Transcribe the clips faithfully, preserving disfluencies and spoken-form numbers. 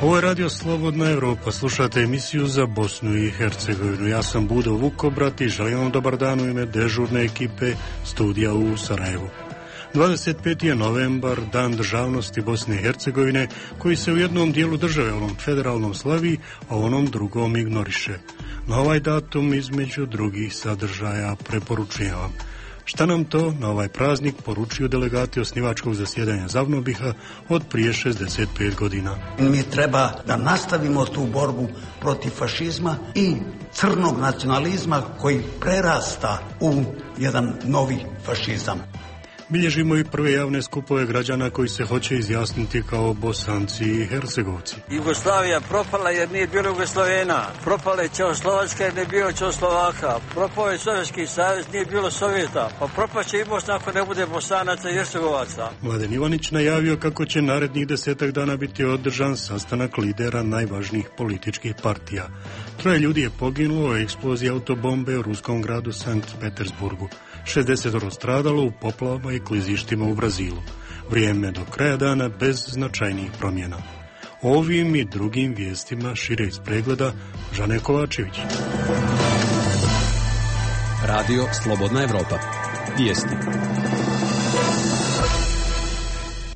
Ovo je Radio Slobodna Evropa, slušate emisiju za Bosnu i Hercegovinu. Ja sam Budo Vukobrat i želim vam dobar dan u ime dežurne ekipe studija u Sarajevu. dvadeset peti je novembar, dan državnosti Bosne i Hercegovine, koji se u jednom dijelu države, onom federalnom, slavi, a onom drugom ignoriše. Na ovaj datum između drugih sadržaja preporučujem vam. Šta nam to na ovaj praznik poručuju delegati osnivačkog zasjedanja Zavnobiha od prije šezdeset pet godina? Mi treba da nastavimo tu borbu protiv fašizma i crnog nacionalizma koji prerasta u jedan novi fašizam. Bilježimo i prve javne skupove građana koji se hoće izjasniti kao Bosanci i Hercegovci. Jugoslavija propala jer nije bilo Jugoslavena. Propala je Čehoslovačka jer nije bilo Čehoslovaka. Propao je Sovjetski savez, nije bilo Sovjeta. Pa propaće i Bosna ako ne bude Bosanaca i Hercegovaca. Mladen Ivanić najavio kako će narednih desetak dana biti održan sastanak lidera najvažnijih političkih partija. Troje ljudi je poginulo u eksploziji autobombe u ruskom gradu Sankt Petersburgu. šezdeset stradalo u poplavama i klizištima u Brazilu. Vrijeme do kraja dana bez značajnijih promjena. Ovim i drugim vijestima šire iz pregleda Žane Kovačević. Radio Slobodna Evropa. Vijesti.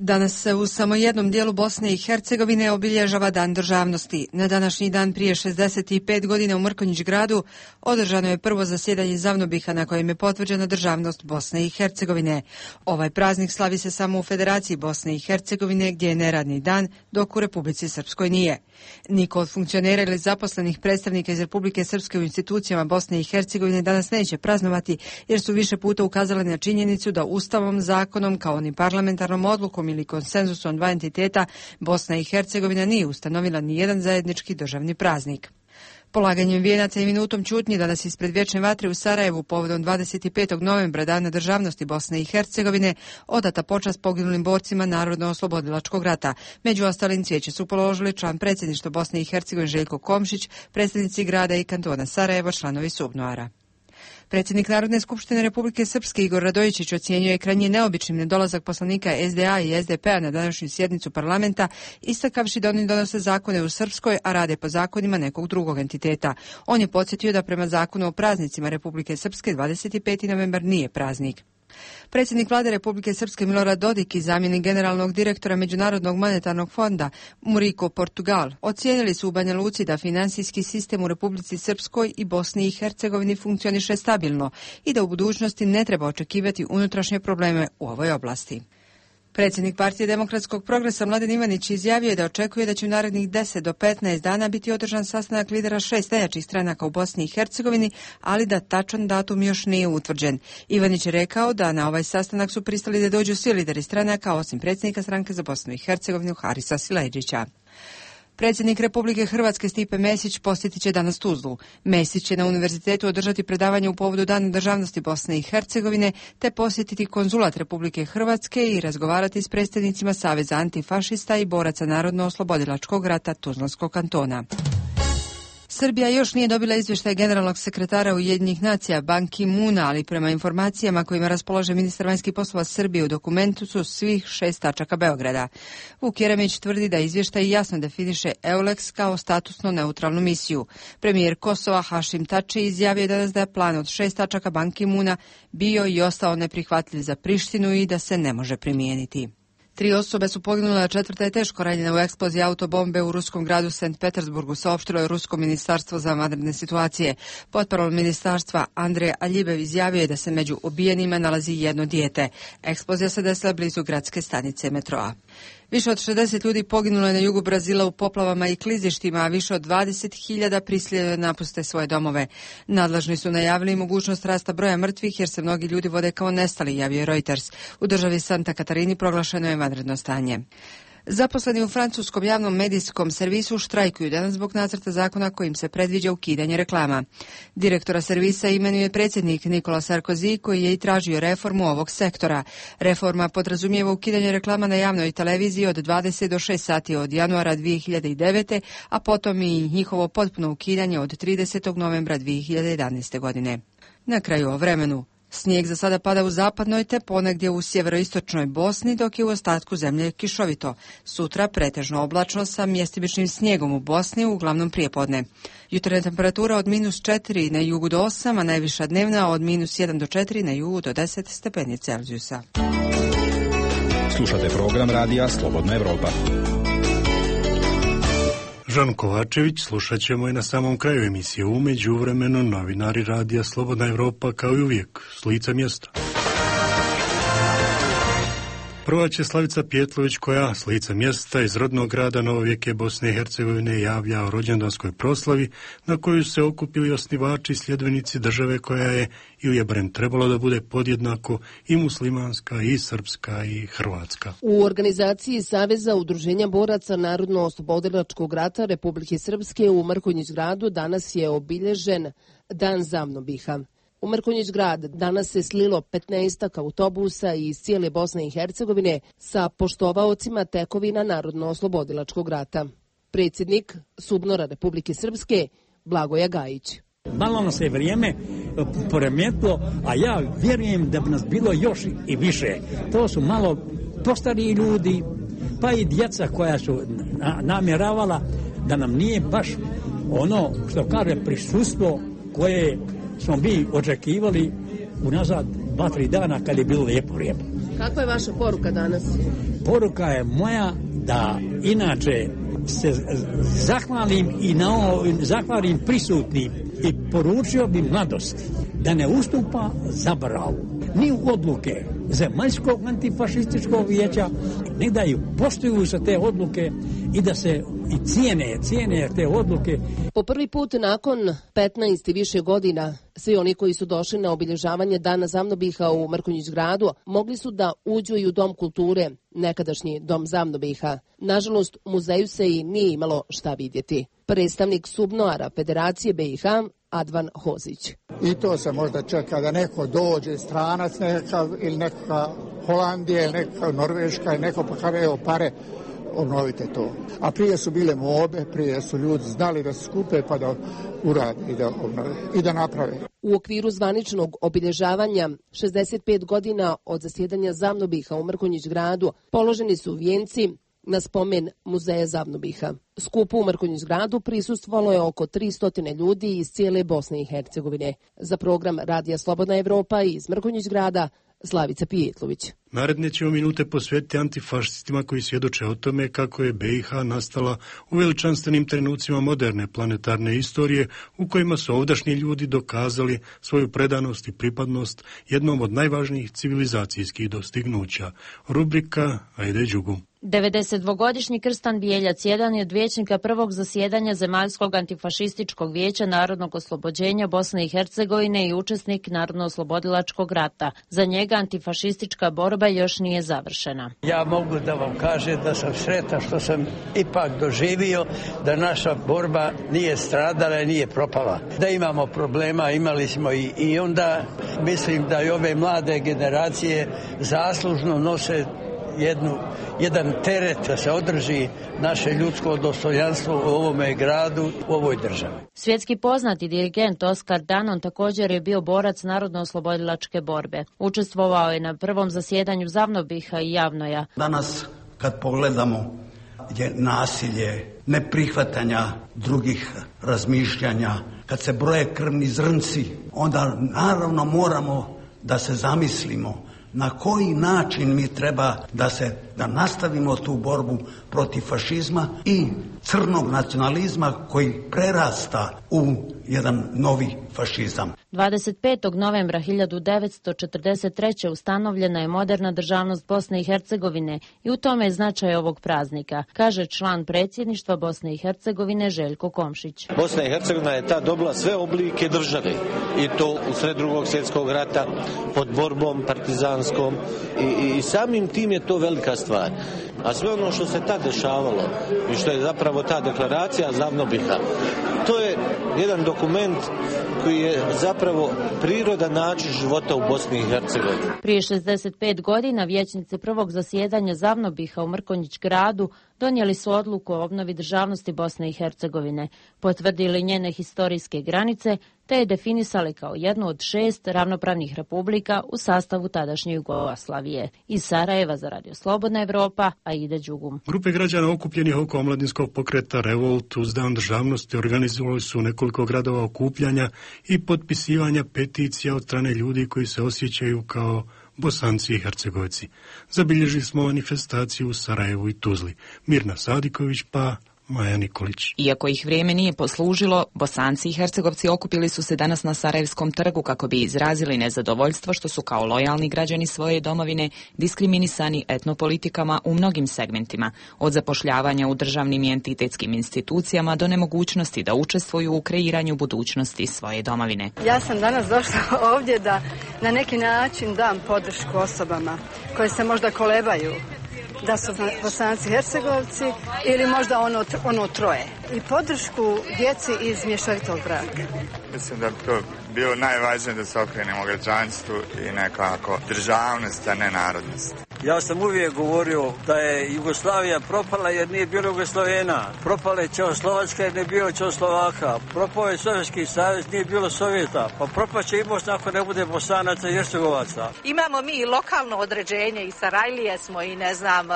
Danas se u samo jednom dijelu Bosne i Hercegovine obilježava Dan državnosti. Na današnji dan prije šezdeset pet godina u Mrkonjić gradu održano je prvo zasjedanje Zavnobiha na kojem je potvrđena državnost Bosne i Hercegovine. Ovaj praznik slavi se samo u Federaciji Bosne i Hercegovine gdje je neradni dan, dok u Republici Srpskoj nije. Niko od funkcionera ili zaposlenih predstavnika iz Republike Srpske u institucijama Bosne i Hercegovine danas neće praznovati jer su više puta ukazali na činjenicu da Ustavom, zakonom kao ni parlamentarnom odlukom ili konsenzusom dva entiteta Bosna i Hercegovina nije ustanovila ni jedan zajednički državni praznik. Polaganjem vijenaca i minutom ćutnje danas ispred Vječne vatre u Sarajevu povodom dvadeset petog novembra Dana državnosti Bosne i Hercegovine odata počast poginulim borcima Narodno-oslobodilačkog rata. Među ostalim cvijeće su položili član predsjedništva Bosne i Hercegovine Željko Komšić, predstavnici grada i kantona Sarajevo, članovi Subnoara. Predsjednik Narodne skupštine Republike Srpske Igor Radojičić ocjenjuje krajnje neobičnim nedolazak poslanika es de a i es de pe a na današnju sjednicu parlamenta, istakavši da oni donose zakone u Srpskoj, a rade po zakonima nekog drugog entiteta. On je podsjetio da prema zakonu o praznicima Republike Srpske dvadeset peti novembar nije praznik. Predsjednik vlade Republike Srpske Milorad Dodik i zamjenik generalnog direktora Međunarodnog monetarnog fonda Muriko Portugal ocijenili su u Banja Luci da finansijski sistem u Republici Srpskoj i Bosni i Hercegovini funkcioniše stabilno i da u budućnosti ne treba očekivati unutrašnje probleme u ovoj oblasti. Predsjednik Partije demokratskog progresa Mladen Ivanić izjavio je da očekuje da će u narednih deset do petnaest dana biti održan sastanak lidera šest najjačih stranaka u Bosni i Hercegovini, ali da tačan datum još nije utvrđen. Ivanić je rekao da na ovaj sastanak su pristali da dođu svi lideri stranaka, osim predsjednika stranke za Bosnu i Hercegovinu Harisa Sileđića. Predsjednik Republike Hrvatske Stipe Mesić posjetit će danas Tuzlu. Mesić će na univerzitetu održati predavanje u povodu Dana državnosti Bosne i Hercegovine, te posjetiti konzulat Republike Hrvatske i razgovarati s predstavnicima Saveza antifašista i boraca Narodno-oslobodilačkog rata Tuzlanskog kantona. Srbija još nije dobila izvještaj generalnog sekretara Ujedinjenih nacija Ban Ki-moona, ali prema informacijama kojima raspolaže ministar vanjskih poslova Srbije u dokumentu su svih šest tačaka Beograda. Vuk Jeremić tvrdi da izvještaj jasno definiše EULEX kao statusno neutralnu misiju. Premijer Kosova Hašim Tači izjavio danas da je plan od šest tačaka Ban Ki-moona bio i ostao neprihvatljiv za Prištinu i da se ne može primijeniti. Tri osobe su poginule, a četvrta je teško ranjena u eksploziji autobombe u ruskom gradu Sankt Petersburgu, saopštilo je Rusko ministarstvo za vanredne situacije. Potparol ministarstva Andrej Aljibev izjavio je da se među ubijenima nalazi jedno dijete. Eksplozija se desila blizu gradske stanice metroa. Više od šezdeset ljudi poginulo je na jugu Brazila u poplavama i klizištima, a više od dvadeset hiljada prisiljeno je napuste svoje domove. Nadležni su najavili mogućnost rasta broja mrtvih jer se mnogi ljudi vode kao nestali, javio Reuters. U državi Santa Katarini proglašeno je vanredno stanje. Zaposleni u francuskom javnom medijskom servisu štrajkuju danas zbog nacrta zakona kojim se predviđa ukidanje reklama. Direktora servisa imenuje predsjednik Nicolas Sarkozy, koji je i tražio reformu ovog sektora. Reforma podrazumijeva ukidanje reklama na javnoj televiziji od dvadeset do šest sati od januara dvije hiljade devete. a potom i njihovo potpuno ukidanje od tridesetog novembra dvije hiljade jedanaeste. godine. Na kraju o vremenu. Snijeg za sada pada u zapadnoj te ponegdje u sjeveroistočnoj Bosni, dok je u ostatku zemlje kišovito. Sutra pretežno oblačno sa mjestimičnim snijegom u Bosni, uglavnom prijepodne. Jutarnja temperatura od minus četiri na jugu do osam, a najviša dnevna od minus jedan do četiri na jugu do deset stepeni Celzijusa. Slušate program radija Slobodna Evropa. Žan Kovačević slušat ćemo i na samom kraju emisije. U međuvremenu novinari radija Slobodna Evropa kao i uvijek s lica mjesta. Prva će Slavica Pjetlović koja s lica mjesta iz rodnog grada Novovijeke Bosne i Hercegovine javlja o rođendanskoj proslavi na koju se okupili osnivači i sljedbenici države koja je, ili je barem trebalo da bude podjednako i muslimanska, i srpska, i hrvatska. U organizaciji Saveza udruženja boraca Narodno-oslobodilačkog rata Republike Srpske u Mrkonjić gradu danas je obilježen Dan Zavnobiha. U Mrkonjić grad danas se slilo petnaestak autobusa iz cijele Bosne i Hercegovine sa poštovaocima tekovina Narodno-oslobodilačkog rata. Predsjednik Subnora Republike Srpske Blagoja Gajić. Malo nam se vrijeme poremetilo, a ja vjerujem da bi nas bilo još i više. To su malo postariji ljudi, pa i djeca koja su namjeravala da nam nije baš ono što kaže prisustvo koje smo mi očekivali unazad dva, tri dana kad je bilo lijepo vrijeme. Kakva je vaša poruka danas? Poruka je moja da inače se zahvalim i na ovo, zahvalim prisutnim i poručio bi mladosti da ne ustupa zaboravu ni u odluke Zemaljskog antifašističkog vijeća, ne da ju poštuju se te odluke i da se i cijene, cijene te odluke. Po prvi put nakon petnaest i više godina, svi oni koji su došli na obilježavanje Dana Zavnobiha u Mrkonjić gradu mogli su da uđu i u Dom kulture, nekadašnji Dom Zavnobiha. Nažalost, u muzeju se i nije imalo šta vidjeti. Predstavnik Subnoara Federacije B i H Advan Hozić. I to se možda čeka da neko dođe, stranac nekakav ili neka Holandija ili neka Norveška ili neko pa kaže evo pare, obnovite to. A prije su bile mobe, prije su ljudi znali da se skupe pa da urade i da obnove i da naprave. U okviru zvaničnog obilježavanja šezdeset pet godina od zasjedanja Zavnobiha u Mrkonjić gradu položeni su vijenci na spomen muzeja Zavnobiha. Skupu u Mrkonjić gradu prisustvovalo je oko tristo ljudi iz cijele Bosne i Hercegovine. Za program Radija Slobodna Evropa iz Mrkonjić grada Slavica Pijetlović. Naredne ćemo minute posvetiti antifašistima koji svjedoče o tome kako je B i H nastala u veličanstvenim trenucima moderne planetarne istorije u kojima su ovdašnji ljudi dokazali svoju predanost i pripadnost jednom od najvažnijih civilizacijskih dostignuća. Rubrika Ajde Đugu. devedesetdvogodišnji Krstan Bijeljac jedan je od vijećnika prvog zasjedanja Zemaljskog antifašističkog vijeća Narodnog oslobođenja Bosne i Hercegovine i učesnik Narodno-oslobodilačkog rata. Za njega antifašistička borba još nije završena. Ja mogu da vam kažem da sam sretan što sam ipak doživio da naša borba nije stradala i nije propala. Da imamo problema, imali smo i, i onda mislim da i ove mlade generacije zaslužno nose jednu, jedan teret da se održi naše ljudsko dostojanstvo u ovome gradu, u ovoj državi. Svjetski poznati dirigent Oskar Danon također je bio borac Narodno-oslobodilačke borbe. Učestvovao je na prvom zasjedanju Zavnobiha i Javnoja. Danas kad pogledamo je nasilje, neprihvatanja drugih razmišljanja, kad se broje krvni zrnci, onda naravno moramo da se zamislimo na koji način mi treba da se da nastavimo tu borbu protiv fašizma i crnog nacionalizma koji prerasta u jedan novi fašizam. dvadeset petog novembra hiljadu devetsto četrdeset treće. ustanovljena je moderna državnost Bosne i Hercegovine i u tome je značaj ovog praznika, kaže član predsjedništva Bosne i Hercegovine Željko Komšić. Bosna i Hercegovina je tad dobila sve oblike države i to u sred drugog svjetskog rata pod borbom partizanskom i, i samim tim je to velika stvar. A sve ono što se tad dešavalo i što je zapravo ta deklaracija Zavnobiha, to je jedan dokument koji je zapravo prirodan način života u Bosni i Hercegovini. Prije šezdeset pet godina vijećnici prvog zasjedanja Zavnobiha u Mrkonjić gradu donijeli su odluku o obnovi državnosti Bosne i Hercegovine, potvrdili njene historijske granice, te je definisali kao jednu od šest ravnopravnih republika u sastavu tadašnje Jugoslavije. Iz Sarajeva za Radio Slobodna Evropa, Aida Đugum. Grupe građana okupljenih oko omladinskog pokreta Revolt uz Dan državnosti organizovali su nekoliko gradova okupljanja i potpisivanja peticija od strane ljudi koji se osjećaju kao Bosanci i Hercegovci. Zabilježili smo manifestaciju u Sarajevu i Tuzli. Mirna Sadiković pa Maja Nikolić. Iako ih vrijeme nije poslužilo, Bosanci i Hercegovci okupili su se danas na Sarajevskom trgu kako bi izrazili nezadovoljstvo što su kao lojalni građani svoje domovine diskriminisani etnopolitikama u mnogim segmentima, od zapošljavanja u državnim i entitetskim institucijama do nemogućnosti da učestvuju u kreiranju budućnosti svoje domovine. Ja sam danas došla ovdje da na neki način dam podršku osobama koje se možda kolebaju da su Bosanci Hercegovci ili možda ono, ono troje. I podršku djeci iz mješovitog braka. Mislim da bi to bilo najvažnije da se okrenemo građanstvu i nekako državnost, a ne narodnost. Ja sam uvijek govorio da je Jugoslavija propala jer nije bilo Jugoslovena. Propala je Čehoslovačka jer nije bilo Čehoslovaka. Propao je Sovjetski savez, nije bilo Sovjeta. Pa propaće i Bosna ako ne bude Bosanaca i Hercegovaca. Imamo mi i lokalno određenje i Sarajlije smo i ne znam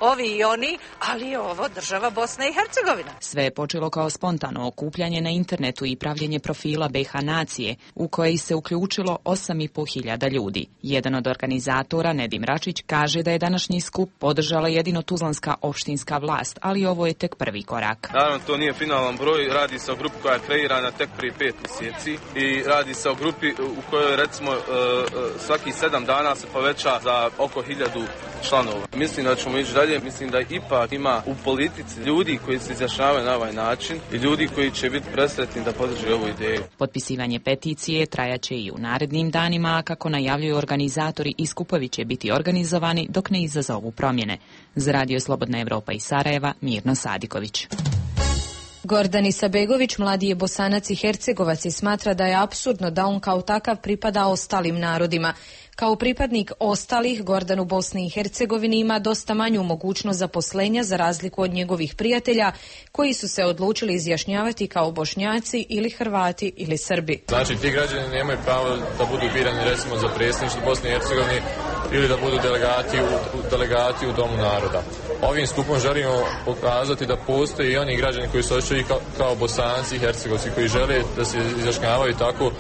ovi i oni, ali je ovo država Bosna i Hercegovina. Sve je počelo kao spontano okupljanje na internetu i pravljenje profila B H nacije, u koje se uključilo osam i po hiljada ljudi. Jedan od organizatora, Nedim Račić, kaže da je današnji skup podržala jedino tuzlanska opštinska vlast, ali ovo je tek prvi korak. Naravno, to nije finalan broj, radi se o grupi koja je kreirana tek prije pet mjeseci i radi se o grupi u kojoj recimo svaki sedam dana se poveća za oko hiljadu članova. Mislim da ćemo ići dalje, mislim da ipak ima u politici ljudi koji se izjašnjavaju na ovaj način i ljudi koji će biti presretni da podrže ovu ideju. Potpisivanje peticije trajaće i u narednim danima, a kako najavljuju organizatori, i skupovi će biti organizovani dok ne izazovu promjene. Za Radio Slobodna Evropa iz Sarajeva, Mirno Sadiković. Gordan Isabegović, mladi je Bosanac i Hercegovac i smatra da je apsurdno da on kao takav pripada ostalim narodima. Kao pripadnik ostalih, Gordan u Bosni i Hercegovini ima dosta manju mogućnost zaposlenja za razliku od njegovih prijatelja koji su se odlučili izjašnjavati kao Bošnjaci ili Hrvati ili Srbi. Znači, ti građani nemaju pravo da budu birani recimo za predsjedništvo Bosne i Hercegovine ili da budu delegati u, delegati u Domu naroda. Ovim skupom želimo pokazati da postoje i oni građani koji se osjećaju kao, kao Bosanci i Hercegovci, koji žele da se izjašnjavaju tako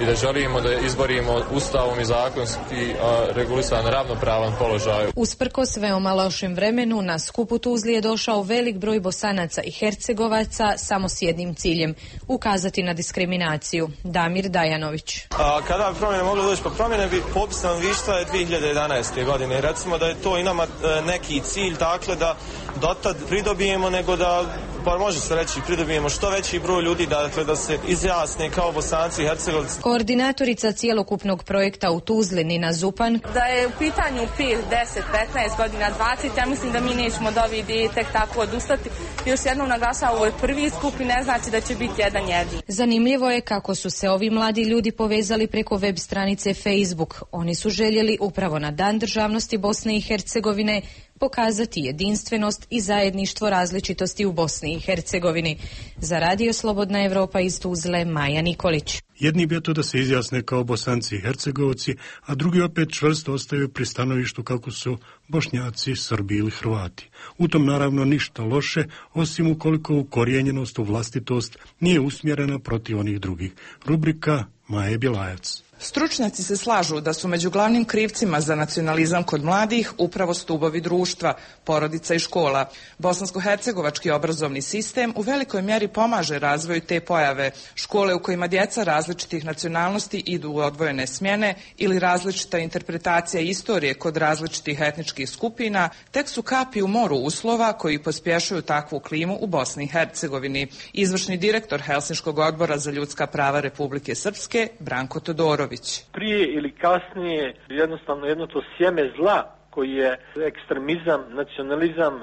i da želimo da izborimo ustavom i zakonski regulisan ravnopravan položaj. Usprkos veoma lošem vremenu, na skupu Tuzli je došao velik broj Bosanaca i Hercegovaca samo s jednim ciljem, ukazati na diskriminaciju. Damir Dajanović. A kada bi promjene mogli doći po promjene, bi popis stanovništva je dvije hiljade jedanaeste. godine. Recimo da je to i nama neki cilj, dakle da dotad pridobijemo, nego da, pa može se reći, pridobijemo što veći broj ljudi, dakle da se izjasne kao Bosanci i Hercegovci. Koordinatorica cijelokupnog projekta u Tuzli, Nina Zupan. Da je u pitanju pet, deset, petnaest godina, dvadeset, ja mislim da mi nećemo od ove ideje tek tako odustati. Još jednom naglašava, ovo je prvi skup i ne znači da će biti jedan jedin. Zanimljivo je kako su se ovi mladi ljudi povezali preko web stranice Facebook. Oni su željeli upravo na Dan državnosti Bosne i Hercegovine pokazati jedinstvenost i zajedništvo različitosti u Bosni i Hercegovini. Za Radio Slobodna Evropa iz Tuzle, Maja Nikolić. Jedni bi to da se izjasne kao Bosanci i Hercegovci, a drugi opet čvrsto ostaju pri stanovištu kako su Bošnjaci, Srbi ili Hrvati. U tom naravno ništa loše, osim ukoliko ukorijenjenost u vlastitost nije usmjerena protiv onih drugih. Rubrika Maje Bjelajac. Stručnjaci se slažu da su među glavnim krivcima za nacionalizam kod mladih upravo stubovi društva, porodica i škola. Bosansko-hercegovački obrazovni sistem u velikoj mjeri pomaže razvoju te pojave. Škole u kojima djeca različitih nacionalnosti idu u odvojene smjene ili različita interpretacija istorije kod različitih etničkih skupina tek su kapi u moru uslova koji pospješuju takvu klimu u Bosni i Hercegovini. Izvršni direktor Helsinškog odbora za ljudska prava Republike Srpske, Branko Todorović. Prije ili kasnije jednostavno jedno to sjeme zla koji je ekstremizam, nacionalizam,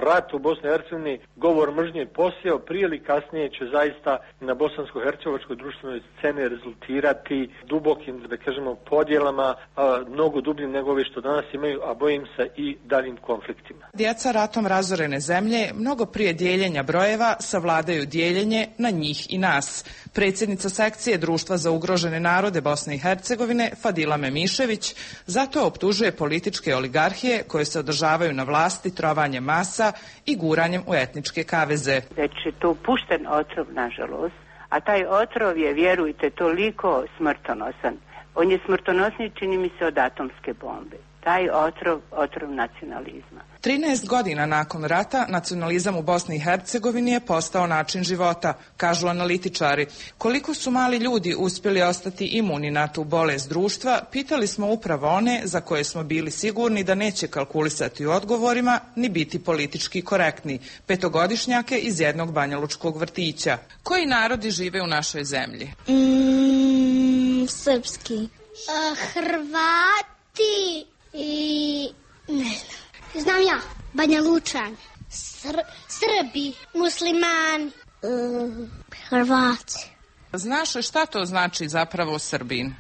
rat u Bosni i Hercegovini, govor mržnje posjeo, prije ili kasnije će zaista na bosansko-hercegovačkoj društvenoj sceni rezultirati dubokim, da kažemo, podjelama, a, mnogo dubljim nego ove što danas imaju, a bojim se i daljim konfliktima. Djeca ratom razorene zemlje mnogo prije dijeljenja brojeva savladaju dijeljenje na njih i nas. Predsjednica sekcije Društva za ugrožene narode Bosne i Hercegovine Fadila Memišević zato optužuje političke oligarhije koje se održavaju na vlasti trovanjem masa i guranjem u etničke kaveze. Već je to pušten otrov, nažalost, a taj otrov je, vjerujte, toliko smrtonosan. On je smrtonosniji, čini mi se, od atomske bombe. Taj otrov, otrov nacionalizma. trinaest godina nakon rata nacionalizam u Bosni i Hercegovini je postao način života, kažu analitičari. Koliko su mali ljudi uspjeli ostati imuni na tu bolest društva, pitali smo upravo one za koje smo bili sigurni da neće kalkulisati u odgovorima ni biti politički korektni, petogodišnjake iz jednog banjalučkog vrtića. Koji narodi žive u našoj zemlji? Mm, srpski. Uh, Hrvati i ne znam. Znam ja, Banja Lučan, Sr- Srbi, muslimani, uh, Hrvati. Znaš li šta to znači zapravo Srbin?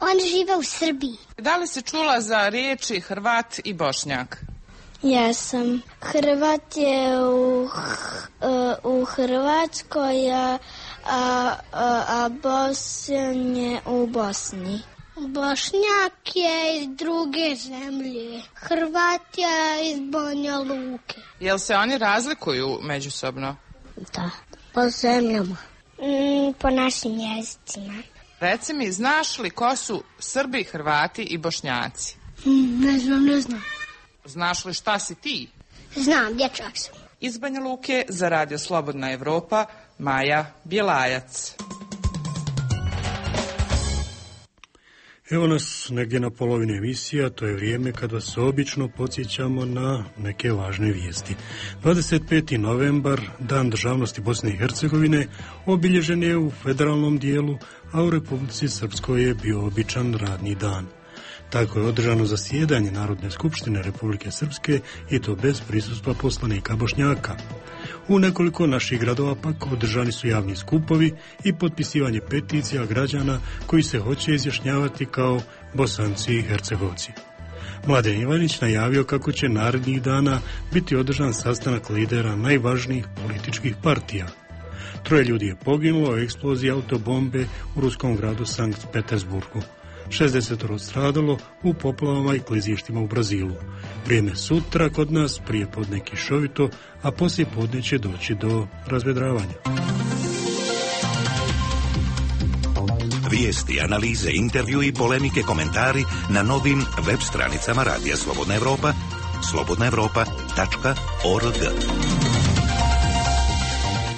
On žive u Srbiji. Da li si čula za riječi Hrvat i Bošnjak? Jesam. Hrvat je u, uh, u Hrvatskoj, a, a, a Bosnjan je u Bosni. Bošnjak je iz druge zemlje. Hrvat je iz Banja Luke. Jel se oni razlikuju međusobno? Da, po zemljama. Mm, po našim jezicima. Reci mi, znaš li ko su Srbi, Hrvati i Bošnjaci? Mm, ne znam, ne znam. Znaš li šta si ti? Znam, dječak sam. Iz Banja Luke za Radio Slobodna Evropa, Maja Bjelajac. Evo nas negdje na polovini emisija, to je vrijeme kad vas obično podsjećamo na neke važne vijesti. dvadeset peti novembar, Dan državnosti Bosne i Hercegovine, obilježen je u federalnom dijelu, a u Republici Srpskoj je bio običan radni dan. Tako je održano zasjedanje Narodne skupštine Republike Srpske i to bez prisustva poslanika Bošnjaka. U nekoliko naših gradova pak održani su javni skupovi i potpisivanje peticija građana koji se hoće izjašnjavati kao Bosanci i Hercegovci. Mladen Ivanić najavio kako će narednih dana biti održan sastanak lidera najvažnijih političkih partija. Troje ljudi je poginulo u eksploziji autobombe u ruskom gradu Sankt Petersburgu. šezdeset stradalo u poplavama i klizištima u Brazilu. Vrijeme sutra kod nas prije podne kišovito, a poslije podne će doći do razvedravanja. Vijesti, analize, intervju i polemike, komentari na novim web stranicama Radija Slobodna Evropa, slobodna evropa tačka org.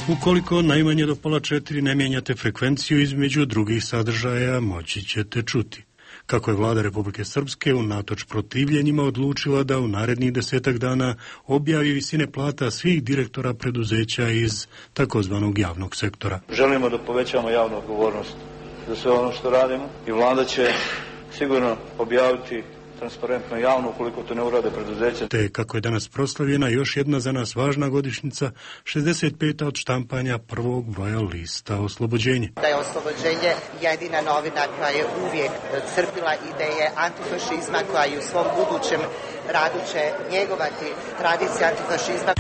Ukoliko najmanje do pola četiri ne mijenjate frekvenciju između drugih sadržaja, moći ćete čuti kako je vlada Republike Srpske unatoč protivljenjima odlučila da u narednih desetak dana objavi visine plata svih direktora preduzeća iz takozvanog javnog sektora. Želimo da povećamo javnu odgovornost za sve ono što radimo i vlada će sigurno objaviti transparentno javno ukoliko to ne urade preduzeća. Te kako je danas proslavljena još jedna za nas važna godišnjica, šezdeset peta od štampanja prvog broja lista Oslobođenje. Da je Oslobođenje jedina novina koja je uvijek crpila ideje antifašizma, koja i u svom budućem radu će njegovati tradicije antifašizma.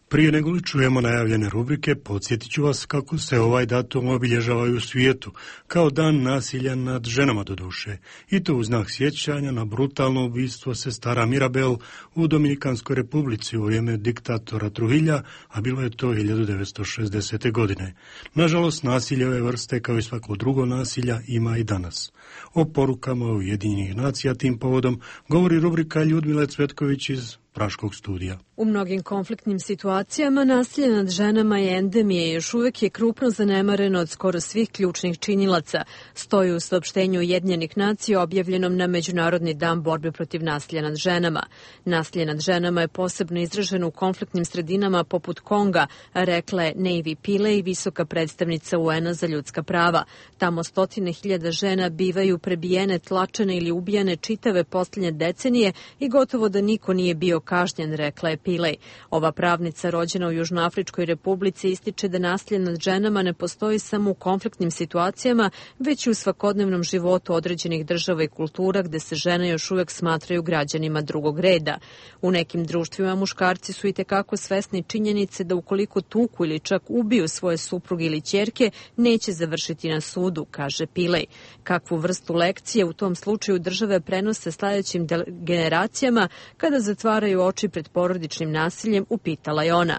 Prije nego li čujemo najavljene rubrike, podsjetit ću vas kako se ovaj datum obilježavaju u svijetu, kao dan nasilja nad ženama do duše, i to u znak sjećanja na brutalno ubistvo sestara Mirabel u Dominikanskoj republici u vrijeme diktatora Trujilla, a bilo je to hiljadu devetsto šezdesete. godine. Nažalost, nasilje ove vrste, kao i svako drugo nasilja, ima i danas. O porukama Ujedinjenih nacija tim povodom govori rubrika Ljudmile Cvetković iz Praškog studija. U mnogim konfliktnim situacijama nasilje nad ženama je endemija i još uvijek je krupno zanemareno od skoro svih ključnih činilaca, stoji u saopštenju Ujedinjenih nacija objavljenom na Međunarodni dan borbe protiv nasilja nad ženama. Nasilje nad ženama je posebno izraženo u konfliktnim sredinama poput Konga, rekla je Navy Pillay, visoka predstavnica U N-a za ljudska prava. Tamo stotine hiljada žena bivaju prebijene, tlačene ili ubijane čitave posljednje decenije i gotovo da niko nije bio kažnjen, rekla je Pillay. Ova pravnica rođena u Južnoafričkoj republici ističe da nasilje nad ženama ne postoji samo u konfliktnim situacijama, već i u svakodnevnom životu određenih država i kultura gde se žene još uvijek smatraju građanima drugog reda. U nekim društvima muškarci su i tekako svesni činjenice da ukoliko tuku ili čak ubiju svoje supruge ili ćerke, neće završiti na sudu, kaže Pillay. Kakvu vrstu lekcije u tom slučaju države prenose sljedećim generacijama kada zatvaraju oči pred porodičnim nasiljem, upitala je ona.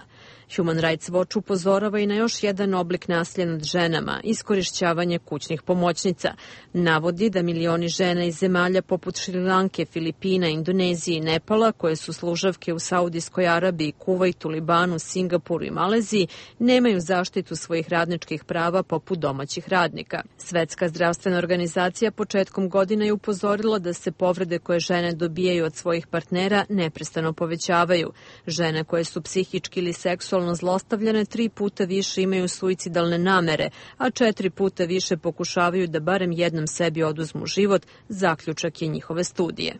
Human Rights Watch upozorava i na još jedan oblik nasilja nad ženama, iskorišćavanje kućnih pomoćnica. Navodi da milioni žena iz zemalja poput Šrilanke, Filipina, Indonezije i Nepala, koje su služavke u Saudijskoj Arabiji, Kuvajtu, Libanu, Singapuru i Maleziji, nemaju zaštitu svojih radničkih prava poput domaćih radnika. Svetska zdravstvena organizacija početkom godine je upozorila da se povrede koje žene dobijaju od svojih partnera neprestano povećavaju. Žene koje su psihički ili seksualno zlostavljane tri puta više imaju suicidalne namere, a četiri puta više pokušavaju da barem jednom sebi oduzmu život, zaključak je njihove studije.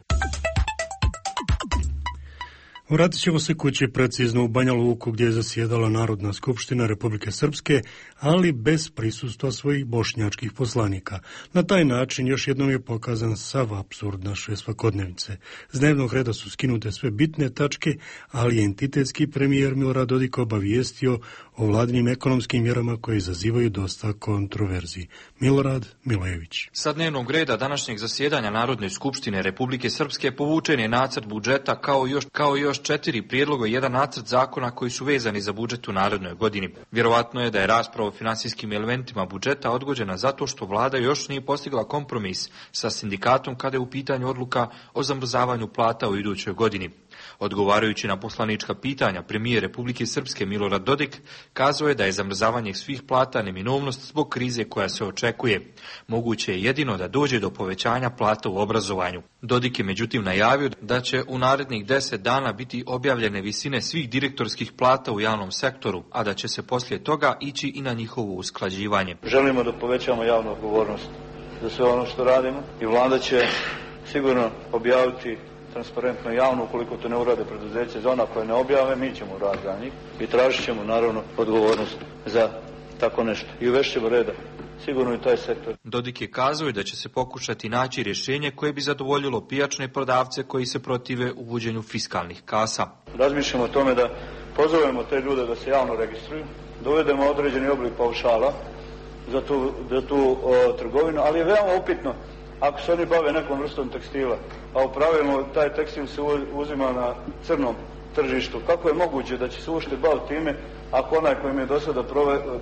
Vratit ćemo se kući, precizno u Banja Luku, gdje je zasjedala Narodna skupština Republike Srpske, ali bez prisustva svojih bošnjačkih poslanika. Na taj način još jednom je pokazan sav apsurd naše svakodnevice. S dnevnog reda su skinute sve bitne tačke, ali je entitetski premijer Milorad Dodik obavijestio o vladinim ekonomskim mjerama koje izazivaju dosta kontroverziji. Milorad Milojević. Sa dnevnog reda današnjeg zasjedanja Narodne skupštine Republike Srpske povučen je nacrt budžeta kao još, kao još četiri prijedloga i jedan nacrt zakona koji su vezani za budžet u narednoj godini. Vjerovatno je da je rasprava o finansijskim elementima budžeta odgođena zato što vlada još nije postigla kompromis sa sindikatom kada je u pitanju odluka o zamrzavanju plata u idućoj godini. Odgovarajući na poslanička pitanja, premijer Republike Srpske Milorad Dodik kazao je da je zamrzavanje svih plata neminovnost zbog krize koja se očekuje. Moguće je jedino da dođe do povećanja plata u obrazovanju. Dodik je međutim najavio da će u narednih deset dana biti objavljene visine svih direktorskih plata u javnom sektoru, a da će se poslije toga ići i na njihovo usklađivanje. Želimo da povećamo javnu odgovornost za sve ono što radimo i vlada će sigurno objaviti transparentno i javno, ukoliko to ne urade preduzeće, za ona koje ne objave, mi ćemo uraditi za njih i tražit ćemo naravno odgovornost za tako nešto. I uvešćemo reda, sigurno i taj sektor. Dodik je kazao da će se pokušati naći rješenje koje bi zadovoljilo pijačne prodavce koji se protive uvođenju fiskalnih kasa. Razmišljamo o tome da pozovemo te ljude da se javno registruju, dovedemo određeni oblik paušala za tu, za tu o, trgovinu, ali je veoma upitno ako se oni bave nekom vrstom tekstila, a u pravilu taj tekstil se uzima na crnom tržištu, kako je moguće da će se uopšte baviti time ako onaj koji im je do sada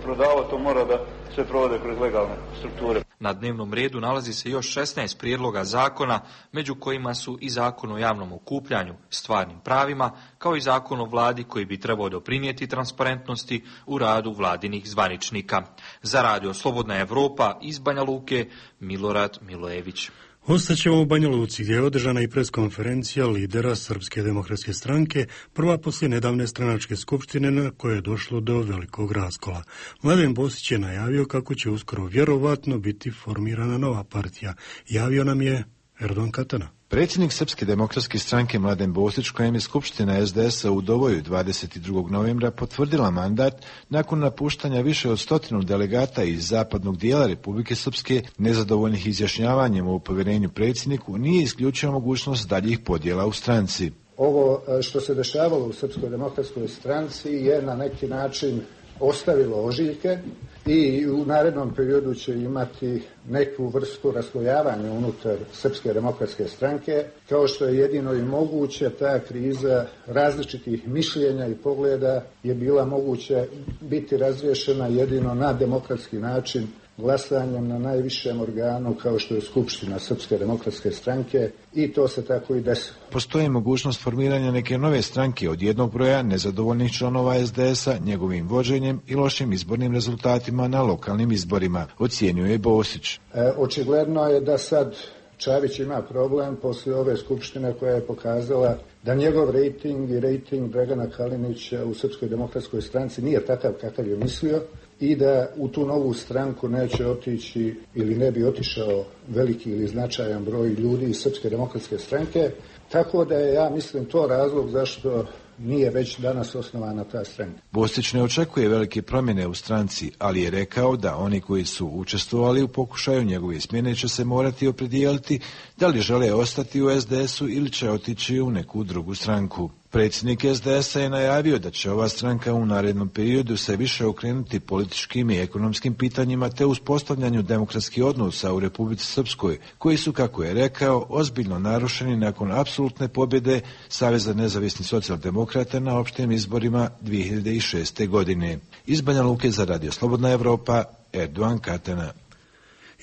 prodavao to mora da sve provode kroz legalne strukture. Na dnevnom redu nalazi se još šesnaest prijedloga zakona, među kojima su i zakon o javnom okupljanju, stvarnim pravima, kao i zakon o vladi koji bi trebao doprinijeti transparentnosti u radu vladinih zvaničnika. Za radio Slobodna Evropa iz Banja Luke, Milorad Milojević. Ostaćemo u Banja Luci, gdje je održana i preskonferencija lidera Srpske demokratske stranke, prva poslije nedavne stranačke skupštine na koje je došlo do velikog raskola. Mladen Bosić je najavio kako će uskoro vjerovatno biti formirana nova partija. Javio nam je Erdogan Katana. Predsjednik Srpske demokratske stranke Mladen Bosić, kojem je Skupština es de es a u Doboju dvadeset drugog novembra potvrdila mandat nakon napuštanja više od stotinu delegata iz zapadnog dijela Republike Srpske, nezadovoljnih izjašnjavanjem o povjerenju predsjedniku, nije isključio mogućnost daljih podjela u stranci. Ovo što se dešavalo u Srpskoj demokratskoj stranci je na neki način ostavilo ožiljke i u narednom periodu će imati neku vrstu raslojavanja unutar Srpske demokratske stranke, kao što je jedino i moguće. Ta kriza različitih mišljenja i pogleda je bila moguće biti razriješena jedino na demokratski način glasanjem na najvišem organu kao što je Skupština Srpske demokratske stranke i to se tako i desilo. Postoji mogućnost formiranja neke nove stranke od jednog broja nezadovoljnih članova es de esa, njegovim vođenjem i lošim izbornim rezultatima na lokalnim izborima, ocijenio je Bosić. E, očigledno je da sad Čavić ima problem poslije ove skupštine koja je pokazala da njegov rejting i rejting Dragana Kalinića u Srpskoj demokratskoj stranci nije takav kakav je mislio i da u tu novu stranku neće otići ili ne bi otišao veliki ili značajan broj ljudi iz Srpske demokratske stranke. Tako da je, ja mislim, to razlog zašto nije već danas osnovana ta stranka. Bosić ne očekuje velike promjene u stranci, ali je rekao da oni koji su učestvovali u pokušaju njegove smjene će se morati opredijeliti da li žele ostati u es de esu ili će otići u neku drugu stranku. Predsjednik es de esa je najavio da će ova stranka u narednom periodu se više okrenuti političkim i ekonomskim pitanjima te uspostavljanju demokratskih odnosa u Republici Srpskoj, koji su, kako je rekao, ozbiljno narušeni nakon apsolutne pobjede Saveza nezavisnih socijaldemokrata na opštim izborima dvije hiljade šeste. godine. Iz Banja Luke za Radio Slobodna Evropa, Erdogan Katana.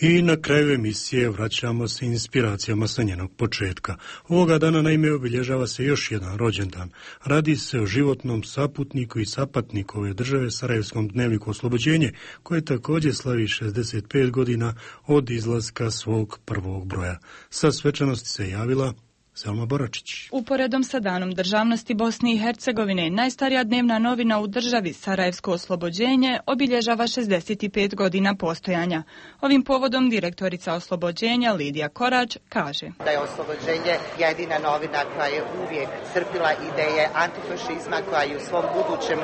I na kraju emisije vraćamo se inspiracijama sa njenog početka. Ovoga dana naime obilježava se još jedan rođendan. Radi se o životnom saputniku i sapatniku ove države, Sarajevskom dnevniku Oslobođenje, koje također slavi šezdeset pet godina od izlaska svog prvog broja. Sa svečanosti se javila Selma Boračić. Uporedom sa Danom državnosti Bosne i Hercegovine, najstarija dnevna novina u državi, Sarajevsko Oslobođenje, obilježava šezdeset pet godina postojanja. Ovim povodom direktorica Oslobođenja Lidija Korać kaže da je Oslobođenje jedina novina koja je uvijek crpila ideje antifašizma, koja je u svom budućem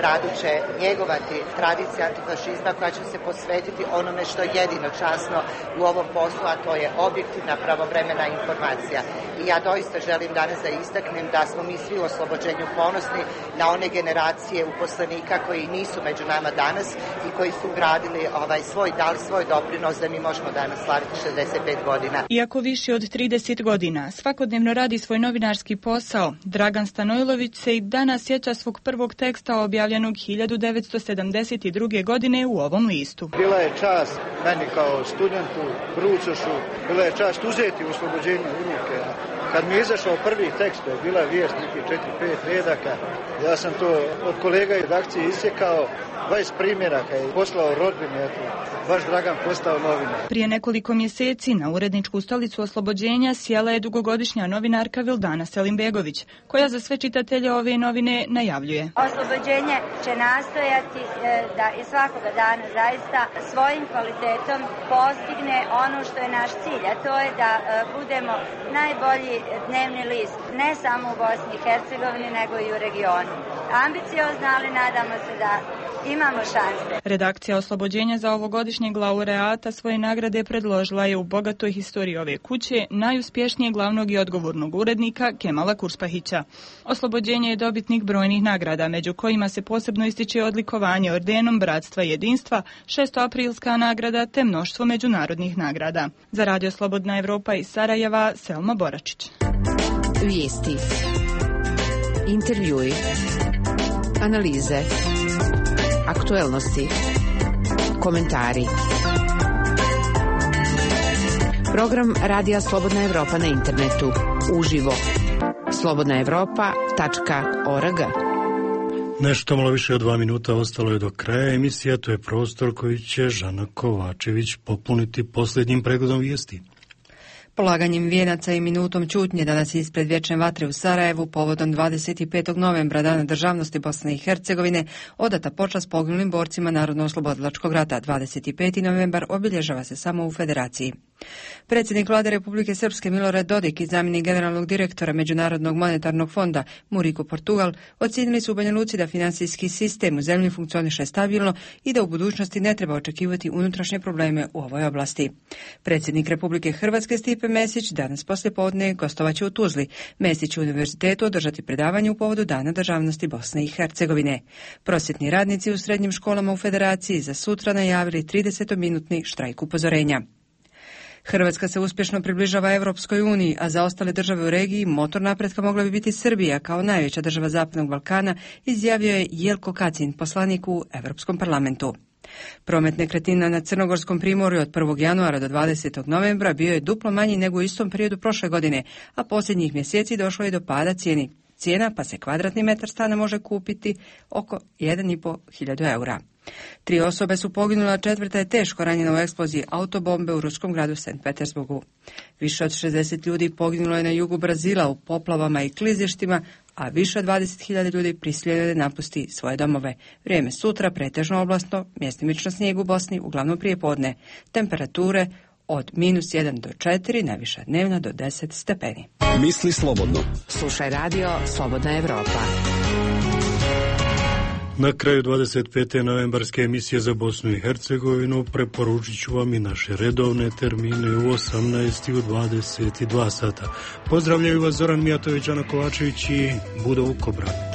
radu će njegovati tradicije antifašizma, koja će se posvetiti onome što je jedino časno u ovom poslu, a to je objektivna pravovremena informacija. I ja doista želim danas da istaknem da smo mi svi u Oslobođenju ponosni na one generacije uposlenika koji nisu među nama danas i koji su gradili ovaj svoj, dali svoj doprinos da mi možemo danas slaviti šezdeset pet godina. Iako više od trideset godina svakodnevno radi svoj novinarski posao, Dragan Stanojlović se i danas sjeća svog prvog teksta objavljenog hiljadu devetsto sedamdeset druge. godine u ovom listu. Bila je čast meni kao studentu, Brucošu, bila je čast uzeti Oslobođenje u ruke. Kad mi je izašao prvi tekst, to je bila vijest nekih četiri pet redaka, ja sam to od kolega iz redakcije isjekao, dvadeset primjeraka i poslao rodbini, eto, baš Dragan postao novinar. Prije nekoliko mjeseci na uredničku stolicu Oslobođenja sjela je dugogodišnja novinarka Vildana Selimbegović, koja za sve čitatelje ove novine najavljuje. Oslobođenje će nastojati da i svakoga dana zaista svojim kvalitetom postigne ono što je naš cilj, a to je da budemo najbolji dnevni list, ne samo u Bosni i Hercegovini, nego i u regionu. Ambiciozno, ali nadamo se da imamo šanse. Redakcija Oslobođenja za ovogodišnjeg laureata svoje nagrade predložila je u bogatoj historiji ove kuće najuspješnijeg glavnog i odgovornog urednika Kemala Kurspahića. Oslobođenje je dobitnik brojnih nagrada, među kojima se posebno ističe odlikovanje ordenom Bratstva i jedinstva, šestoaprilska nagrada te mnoštvo međunarodnih nagrada. Za Radio Slobodna Evropa iz Sarajeva, Selma Boračić. Vijesti, intervjui, analize, aktuelnosti, komentari. Program Radija Slobodna Evropa na internetu. Uživo. slobodna evropa tačka org. Nešto malo više od dva minuta ostalo je do kraja emisija. To je prostor koji će Žana Kovačević popuniti posljednjim pregledom vijesti. Polaganjem vijenaca i minutom ćutnje danas ispred vječne vatre u Sarajevu povodom dvadeset petog novembra, Dana državnosti Bosne i Hercegovine, odata počast poginulim borcima Narodno-oslobodilačkog rata. dvadeset peti novembar obilježava se samo u Federaciji. Predsjednik Vlade Republike Srpske Milorad Dodik i zamjenik generalnog direktora Međunarodnog monetarnog fonda Murico Portugal ocijenili su u Banja Luci da financijski sistem u zemlji funkcioniše stabilno i da u budućnosti ne treba očekivati unutrašnje probleme u ovoj oblasti. Predsjednik Republike Hrvatske Stipe Mesić danas poslijepodne gostovaće u Tuzli. Mesić će u univerzitetu održati predavanje u povodu Dana državnosti Bosne i Hercegovine. Prosvjetni radnici u srednjim školama u Federaciji za sutra najavili tridesetminutni štrajk upozorenja. Hrvatska se uspješno približava Europskoj uniji, a za ostale države u regiji motor napretka mogla bi biti Srbija kao najveća država Zapadnog Balkana, izjavio je Jelko Kacin, poslanik u Europskom parlamentu. Promet nekretnina na Crnogorskom primorju od prvog januara do dvadesetog novembra bio je duplo manji nego u istom periodu prošle godine, a posljednjih mjeseci došlo je do pada cijeni cijena, pa se kvadratni metar stana može kupiti oko jedan i pol hiljadu eura. Tri osobe su poginule, a četvrta je teško ranjena u eksploziji autobombe u ruskom gradu Sankt Petersburgu. Više od šezdeset ljudi poginulo je na jugu Brazila u poplavama i klizištima, a više od dvadeset hiljada ljudi prisiljeno je da napusti svoje domove. Vrijeme sutra pretežno oblasno, mjestimično snijeg u Bosni, uglavnom prije podne. Temperature od minus jedan do četiri, najviša dnevna do deset stepeni. Misli slobodno. Slušaj radio Slobodna Evropa. Na kraju dvadeset pete novembarske emisije za Bosnu i Hercegovinu preporučit ću vam i naše redovne termine u osamnaest i u dvadeset dva sata. Pozdravljaju vas Zoran Mijatović, Ana Kovačević i Budo Vukobran.